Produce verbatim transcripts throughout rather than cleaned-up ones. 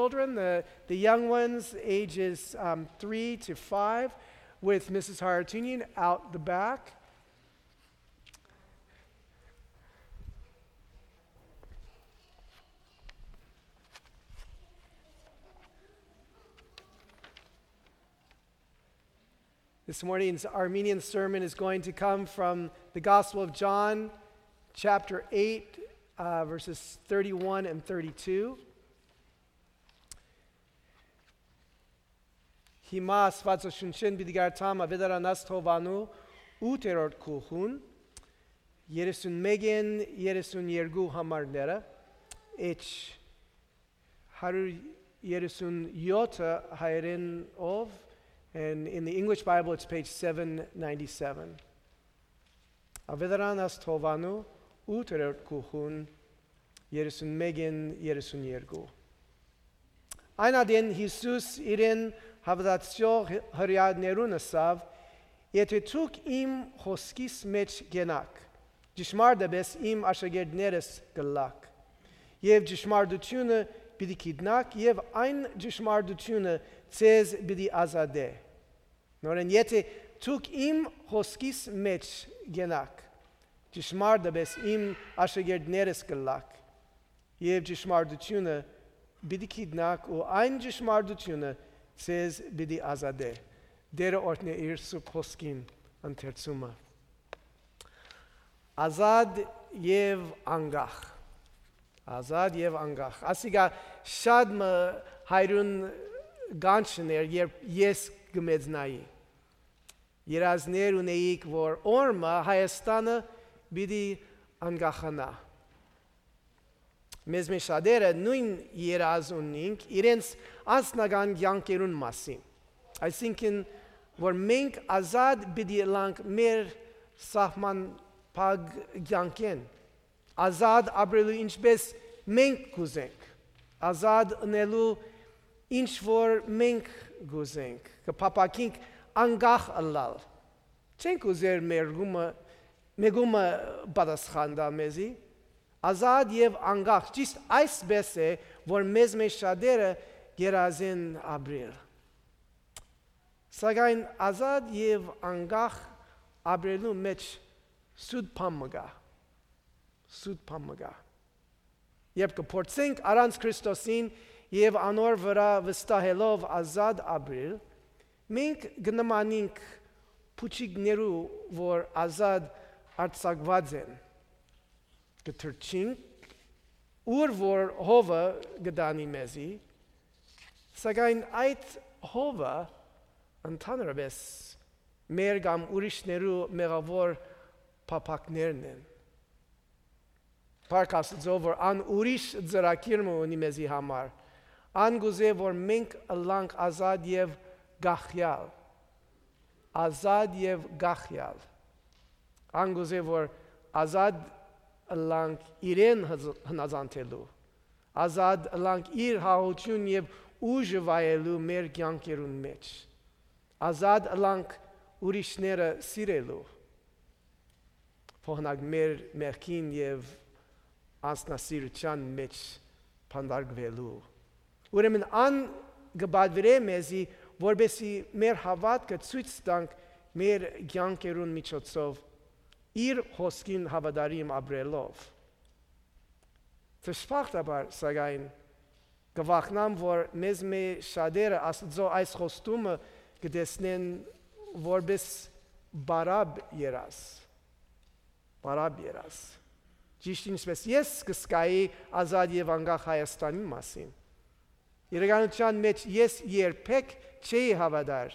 children, the, the young ones, ages um, three to five, with Missus Haratunian out the back. This morning's Armenian sermon is going to come from the Gospel of John, chapter eight, uh, verses thirty-one and thirty-two. Հիմա Աստուածաշունչէն պիտի կարդամ Աւետարանաց Թովանու ութերորդ գլխուն, երեսուն մէկէն երեսուն երկու համարները, H հարիւր երեսուն եօթը հայերէնով, and in the English Bible it's page seven ninety-seven. Աւետարանաց Թովանու ութերորդ գլխուն, երեսուն մէկէն երեսուն երկու։ Այն ատեն Յիսուս իրեն հաւատացող Հրեաներուն ըսաւ. «Եթէ դուք իմ խօսքիս մէջ կենաք, ճշմարտապէս իմ աշակերտներս կ'ըլլաք, եւ ճշմարտութիւնը պիտի գիտնաք, եւ այն ճշմարտութիւնը ձեզ պիտի ազատէ»։ Նորէն, եթէ դուք իմ խօսքիս մէջ կենաք, ճշմարտապէս իմ աշակերտներս կ'ըլլաք, եւ ճշմարտութիւնը պիտի գիտնաք ու այն ճշմարտութիւնը ձեզ պիտի ազատէ։ Տէրը օրհնէ իր սուրբ խօսքին ընթերցումը։ Ազատ եւ անկախ։ Ազատ եւ անկախ։ Ասիկա շատ մը հայրուն կանչն էր, երբ ես կը մեծնայի։ Երազներ ունեիք, որ օր մը Հայաստանը պիտի անկախանայ։ Մեզմէ շատերը նոյն երազ ունինք իրենց անձնական կեանքերուն մասին, այսինքն, որ մենք ազատ պիտի ըլլանք մեր սահմանափակ կեանքէն, ազատ ապրելու ինչպես մենք կ'ուզենք, ազատ ընելու ինչ որ մենք կ'ուզենք, կը փափաքենք անկախ ըլլալ։ Չենք ուզեր մեր գումը, մեկումը պատասխան տայ մեզի։ Ազատ եւ անկախ, ճիշդ այսպես է, որ մեզմէ շատերը երազեն ապրել։ Սակայն ազատ եւ անկախ ապրելու մէջ սուտ բան մը կայ, սուտ բան մը կայ։ Երբ կը փորձենք առանց Քրիստոսին եւ անոր վրայ վստահելով ազատ ապրել, մենք կը նմանենք փուչիկներու, որ ազատ արձակուած են։ Կը թռչինք, ուր որ հովը կը տանի մեզի, սակայն այդ հովը ընդհանրապէս մեր կամ ուրիշներու մեղաւոր փափաքներն են։ Փառք Աստուծոյ, որ ան ուրիշ ծրագիր մը ունի մեզի համար։ Ան կ'ուզէ, որ մենք ըլլանք ազատ եւ կախեալ։ Ազատ եւ կախեալ։ Ան կ'ուզէ, որ ազատ ըլլանք իրեն հզ-, հնազանդելու, ազատ ըլլանք իր հաղորդութիւն եւ ուժը վայելու մեր կեանքերուն մէջ, ազատ ըլլանք ուրիշները սիրելու, փոխանակ մեր մեղքին եւ անձնասիրութեան մէջ բանտարկուելու։ Ուրեմն ան կը պատուիրէ մեզի, որպեսզի մեր հաւատքը ցոյց տանք մեր կեանքերուն միջոցով, իր խօսքին հաւատարիմ ապրելով։ Դժբախտաբար, սակայն, կը վախնամ, որ մեզմէ շատերը Աստուծոյ այս խոստումը կը տեսնեն որպէս պարապ երազ։ Պարապ երազ։ Ճիշդ ինչպէս ես կը զգայի ազատ եւ անկախ Հայաստանի մասին։ Իրականութեան մէջ ես երբեք չէի հաւատար,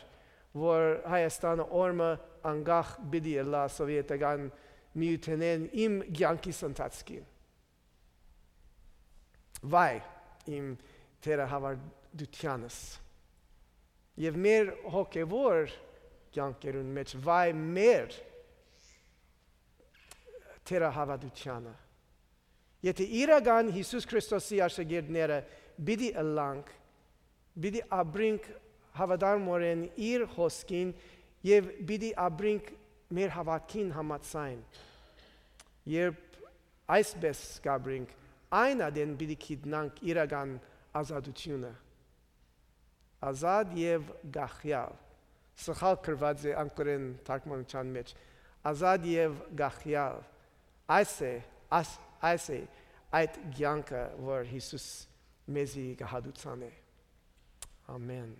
որ Հայաստանը օր մը անկախ պիտի ըլլայ Սովետական Միութենէն իմ կեանքիս ընթացքին։ Վայ, իմ թերահաւատութեանս։ Եւ մեր հոգեւոր կեանքերուն մէջ վայ մեր թերահաւատութեանը։ Եթէ իրական Յիսուս Քրիստոսի աշակերտները պիտի ըլլանք, պիտի ապրինք հաւատարմօրէն իր խօսքին եւ պիտի ապրինք մեր հաւատքին համաձայն։ Երբ այսպես կ'ապրինք, այն ատեն պիտի գիտնանք իրական ազատութիւնը։ Ազատ եւ կախեալ։ Սխալ գրուած է անգլերէն թարգմանութեան մէջ։ Ազատ եւ կախեալ։ Այս է, աս-, այս է այդ կեանքը, որ Յիսուս մեզի կը հատուցանէ։ Ամեն։